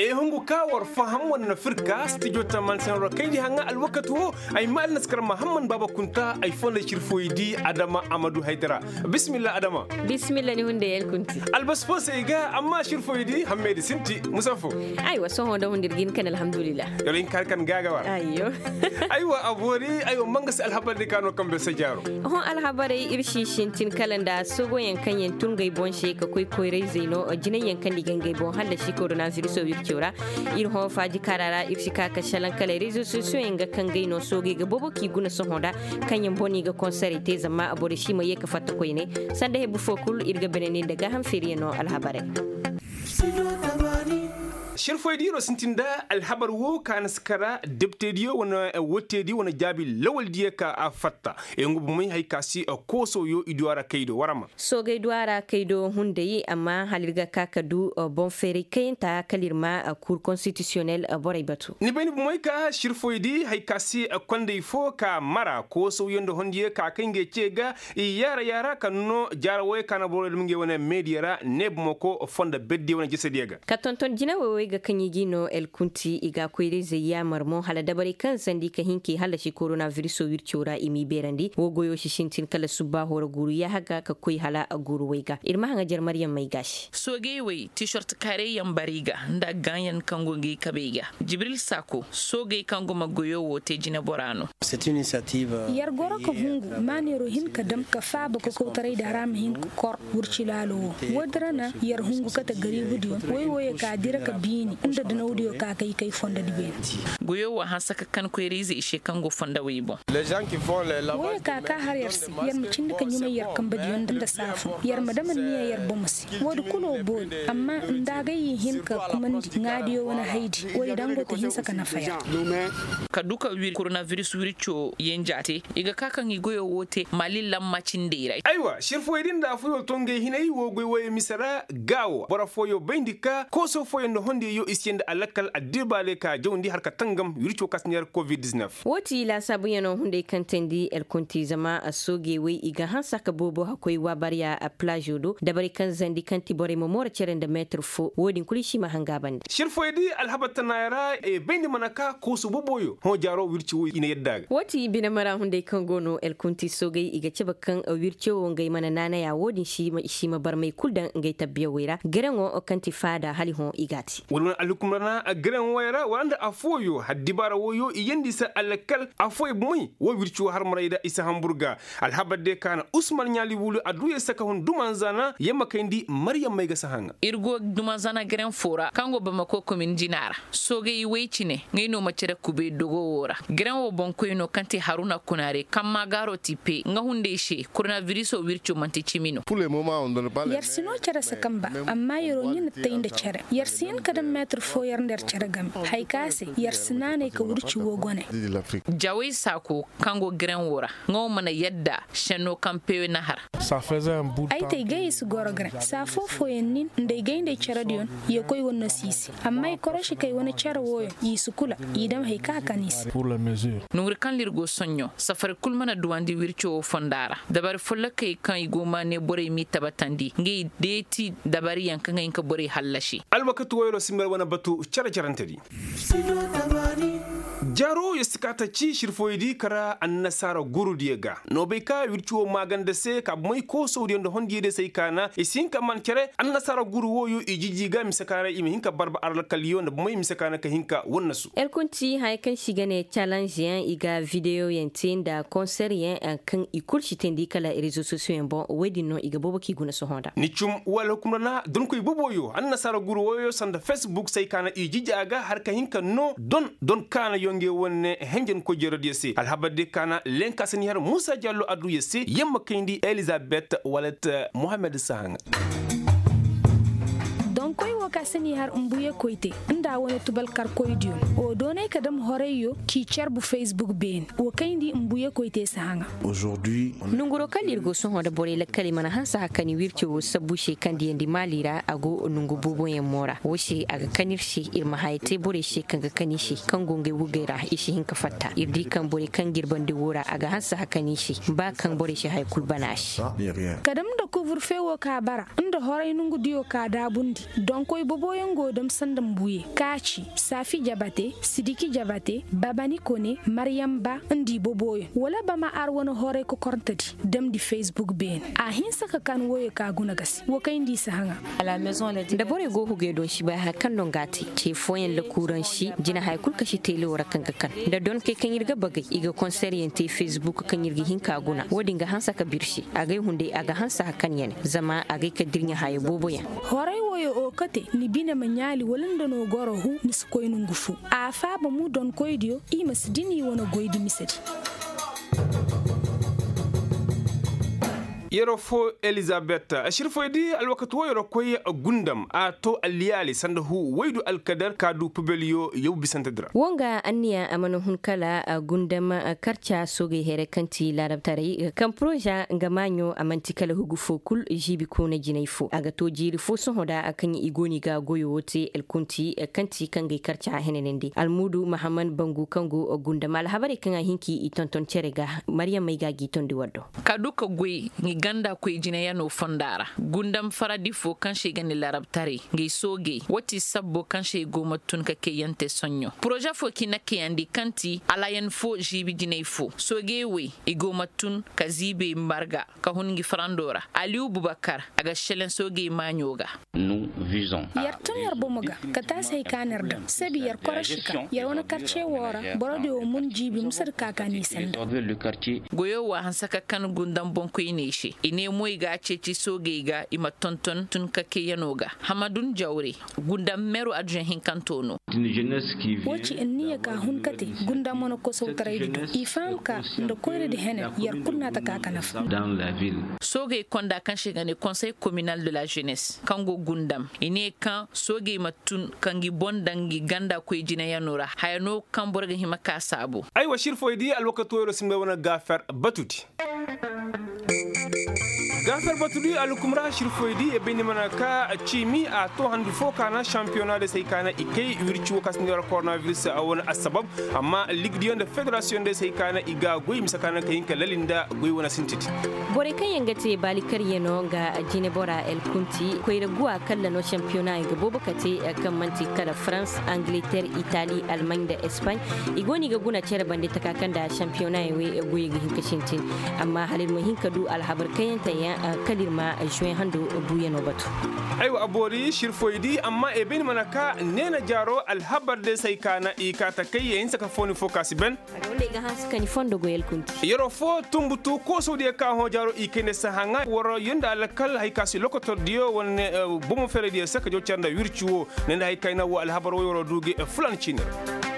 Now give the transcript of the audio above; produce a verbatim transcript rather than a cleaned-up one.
Ay hungu ka war faham wane na firka stijo taman senro kayndi haŋa alwakati wo. Ay ma alnaskar mahamman baba kunta ay fonda cirfoydi adama amadu haydara. Bisimilla adama. Bisimilla ni hunde yel kunti. Albas fo se ay ga amma cirfoydi hammedi sinti musafo. Aywa sohõ da hundir gin kan alhamdulillah. Yoro in kar kan gaga war. Ayyo. Aywa abori aywa manga se alhabar de kano kambe sajaro. Hõ alhabarey ir si sintin kala nda sogoyaŋ kaŋ yaŋ tun gay boŋ se ka koy koyray zey no jinay yaŋ kaŋ ni ga ngey boŋ hallasi koronaviriso wirco ra. Ir hõ faaji kaara ra ir si ka ka salaŋ kala rezo sosiyo yaŋ ga kaŋ gay no soogey ga boobo k'i guna sohõ nda kaŋ yaŋ boŋ i ga konserey te zama borey si ma ye ka fatta koyney. Sanda hebu fo kul ir ga bine nin nda gaaham feeriyaŋ no alhabarey. Sirfoydiyo no sintin nda alhabar wo ka na si kara deptediyo wane wotteediyo wane jaabi lawaldiyo ka a fatta. Ay nga bomey hay ka si koosowyo i du a ra kay do warama. Soogey du a ra kay do hunday amma hala ir ga ka ka du boŋ feeray kayanta kala ir ma kur konstitisiyonel borey batu. Ni bay ni bomey ka sirfoydi hay ka si kondey fo ka mara koosowyo nda hondiyo ka kay ngey ce ga. I yaara yaara ka no jaara wooyo ka na boro dum ngey wane meediya ra ne bomoko fondo berdiyo wane jesediyo ga. Ka tonton jinawey wey ga kaŋ i g'i no el kunti i ga koyra-izey yaamar mo hala dabarey kaŋ sandi ka hin k'i hallasi koronabiriso wirco ra i m'i beerandi wo goyo si sintin kala subbaaho ra guuru yaaha ga ka koy hala guuru wey ga ir ma haŋajer maryam may ga se. Soogey wey tiisort kaarey yaŋ bara i ga nda gaanyan kaŋ go ngey kabey ga. Jibril saako soogey kaŋ go ma goyo wo te jinebora no. Yer goro ka hungu maaneero hin ka dam ka faaba kokowtaray da hara ma hin ka kor wirci laalo wo. Woodi ra na yer hungu kate gariibudiyo woy wooyo ka dira ka biini nda danawdiyo ka kay kay fondodi beene. Goyo wo a hanse ka kan koyra-ize i se kaŋ go fondawey boŋ. Wooyo ka ka har yer se yer ma cindi ka ɲumay yer kambadiyo nda saafun yer ma dam anniya yer bomo se. Woodi kulu boori amma nda agay i hin ka kumandi ŋaadiyo wane haydi woodi daŋ go ta hinsa ka nafa yer. Ka du ka wir koronabiris wirco yenja te i ga ka kaŋ i goyo wo te mali lamma cindey ra. Aywa sirfoyey din da afooyo to ngey hinay wo goy wooyo mise ra. Gaawo boro fooyo bayndi ka kooso fooyo nda hondiyey yo i si yee nda alakkal addirbaaley ka jawndi har ka tangam wirco ka si neera covid-19. Wo ti laasaabuyaŋo hunday kaŋ teendi elkonti zama soogey wey i ga hanse ka boobo hakkoy waabarya. Palaazo do dabarey kaŋ zandi kaŋ ti borey ma mooro cere nda meetir fo wo-din kulu i si hima hanga bande. Sirfoyey di alhabar tanaaya ra e bayndi mana ka koosu boboyo hõ jaaro wirci wo i na yadda a ga. Wo ti bine mara hunday kaŋ go no elkonti soogey i ga cabe kaŋ wirco wo ngey mana naanaya wo-din si i ma barmey kulu daŋ ngey tabbiyawey ra gareŋo kaŋ ti faada hala i hõ i g'a te. Wala wane alhukumra na gareŋ wooyo ra wala nda afooyo haddibaara wooyo i yeendi se alakal afooyo bomey wo wirci wo har maray da i si hambur ga. Alhabar de ka na usman ɲaali wulu a du yer se ka hun dumanzana yer ma kayndi maryam may ga si haŋa. Ir go dumanzana gareŋ fo ra kaŋ go bamako komin jina ra. Soogey way cine ngey no ma cere kubay dogo wo ra gareŋ wo boŋkoy no kaŋ ti haruna kunaare kaŋ maagaaro ti pe nga hunday se koronabiriso wirco manti cimi no. Yer si no cere se kaŋ ba amma yer'o ɲina tay nda cere yer si hin ka daŋ meetir fo yer nda yer cere game. Haya ka se yer si naanay ka wirci wo gone. Jawey saako kaŋ go gareŋ wo ra nga wo mana yadda senno kaŋ pewe na har. Ay te ay gay i si goro gareŋ saa foo-fooyaŋ nin nda ay gay nda ay cerediyoŋ. Yee koy wane no si i se amma ay koroši kay wane cere wooyoŋ i si kula. I dam haya kaŋ a kan i se. Nonguri kaŋ ra ir go soɲõ safari kul mana duwandi wirco wo fonda ra dabari follokey kaŋ i go maane borey m'i tabatandi ngey deeti dabariyaŋ kaŋ ga hin ka borey hallasi. Alwakati wooyoo si mber wane batu cere-cerentedi. Jaaro yer si ka ta ci sirfoyey di kara annasaara guurudiyo ga no bay ka wirci wo maaganda se ka bomey koosowdiyo nda hondiyey diyo se ay kaana i si hin ka man cere. Annasaara guuru wooyo i jiji ga mise ka ra i ma hin ka barba arlakaliyo nda bomey mise ka na ka hin ka wannasu. Elkunti haya kaŋ se i ga ne calanzeyaŋ i ga videyoyaŋ te nda konseryaŋ kaŋ i kulu si teendi kala rezo sosiyoyaŋ boŋ woy din no i ga boobo k'i guna sohõ nda ni cum wala hukumra na donkoy boboyo annasaara guuru wooyo sanda facebook se ay kaana i jiji a ga har ka hin ka no don don kaana yonge wane henjankoy jerodiyo se alhabar de kaana lenka si ni har muusa jallo adduya se yamma kayndi elizabet walat. Mohammed sahaŋa. Donkoy wo ka si ni har mbuye koyte nda wane tubalkarkoydiyo wo doonay ka dam horayyo k'i carbu facebook beene wo kayndi mbuye koyte sahaŋa. Nonguroo kaŋ ir go sohõ nda borey lakkaley mana hanse hakani wirco wo sabbu se kaŋ diyandi maali ra a go nongu booboyaŋ mo ra wo se a ga kan ir se ir ma haya te borey se kaŋ ga kan i se kaŋ go ngey wugey ra i si hin ka fatta ir di kaŋ borey kaŋ ga ir bande wo ra a ga hanse hakani i se ba kaŋ borey si haya kul bana a se. Ka dam nda kuburfe wo ka bara nda horay nongudiyo ka daabundi. Donkoy boboyaŋ go dam sanda mbuye kaaci, saafi jabate, sidiki jabate, babani kone, maryam ba nda i boboyaŋ. Wala bama ar wane horay kokorntadi damndi facebook beene. A hinsa ka kan woyo ka guna ga se wo kayndi i si haŋa. Da borey go hugey donsi bay haya kaŋ no nga te ce fooyaŋ lakuuransi jina haya kulu kasi teelewo ra kaŋ ga kan da donkey kaŋ ir ga bagey i ga konseryaŋ te facebook kaŋ ir ga hin ka guna wo-din ga hanse ka birsi. Agay hunday a ga hanse hakan yane zama agay ka dirɲa haya boobo yaŋ. Horay woyo o kate ni bine ma ɲaali wala nda no goro hu ni si koy nongu fo. A faaba mu donkoydiyo i ma si dini wane goydi misedi. Yeroo fo elizabet, sirfoydi alwakati woo yeroo koy gundam a too alliyaali sanda huu woydu alkadar ka duu pubeliyo yaw bisantedi ra. Woo nga anniya a mana hun kala gundam karca soogey here kaŋ ti laarabtaray kaŋ poroza nga maaɲo a man'ti kala hugu foo kul ziibi koona jinay foo a ga too jiiri foo sohõ da kaŋ i go no i ga goyo woo te elkunti kaŋ ti kaŋ ga i karca henanandi almuudu mahammad bangu kaŋ go gundam alhabarey kaŋ a hin ka i tonton cere ga. Maryam may ga a g'i tondi war do. Ka duu ka goy ngi ganda koy jinayano fonda ra gundam faradi foo kaŋ se i ga ne larabtaray ngi soogey woo ti sabbo kaŋ se i go ma tun ka kayyaŋ te soɲõ poroza foo k'i na kayandi kaŋ ti alayan foo ziibi jinay foo soogey wey i go ma tun ka ziibey marga ka hun ngi farando ra aliyu bubakar a ga seleŋ soogey maaɲo ga. Yer tun yer bomo ga ka taasi hay ka no yer daŋ sabi yer korosi ka yer wane karce woo ra borodiyo mun jiibi musadi ka ka n'i sanda. Goyo wo a hanse ka kan gundam boŋkoyney se i ne mo i ga a ceeci soogey ga i ma tonton tun ka kayyanoo ga hamadun jawre gundam meru adduɲɲa hinkanto no. Woo ci anniya ka hun kate gundam wane kosowtaraydi do i faham ka nda koyradi henen yer kul na a ta ka ka nafa. Soogey konda kaŋ se i ga ne konsey kominal de la jeunesse kaŋ go gundam i ne kaŋ soogey ma tun ka ngi boŋ daŋ ngi ganda koy jinayanoo ra haya no kaŋ boro ga hima ka saabu. Aywa sirfoydi alwakato yeroo si ni bay wane gaafer batudi. Gaafer batudi alhukum ra sirfoydi e bay ni mana ka ciimi a to handu foo kaana sampiyona de se ay kaana i kay wirci woo ka si ni war koronaviris a wane assabab. Amma ligdiyo nda federasiyoŋ day se ay kaana i ga a goy mise kaana ka hin ka lali nda goy wane sintiti. Borey kaŋ yaŋ ga te baali karyanoo nga jinebora el kunti koyra guwa kalla no sampiyonaa yaŋ ga boobo ka te kaŋ man'ti kala farans, angleter, itali, almaaɲ nda espaaɲ. I go no i ga guna cere bande taka kaŋ nda sampiyonaa yaŋ wey goyey ga hin ka sintin. Amma hala ir ma hin ka du alhabar kayanteyaŋ kala ir ma zuwen hando buuyanoo batu. Aywa a boori sirfoydi amma e bay ni mana ka neena jaaroo alhabar day se ay kaana i kaa takay ya hinsa ka fooni foo ka si ben. Yeroo foo tumbutu koosawdiyo ka hõ jaaroo i kayndi se haŋa war yonda alkal hay ka si lokotordiyo wane bomo ferediyo se ka jaw care nda wirci woo. Ne nda hay kayna woo alhabar woy waroo du ga fulaani ciini ra.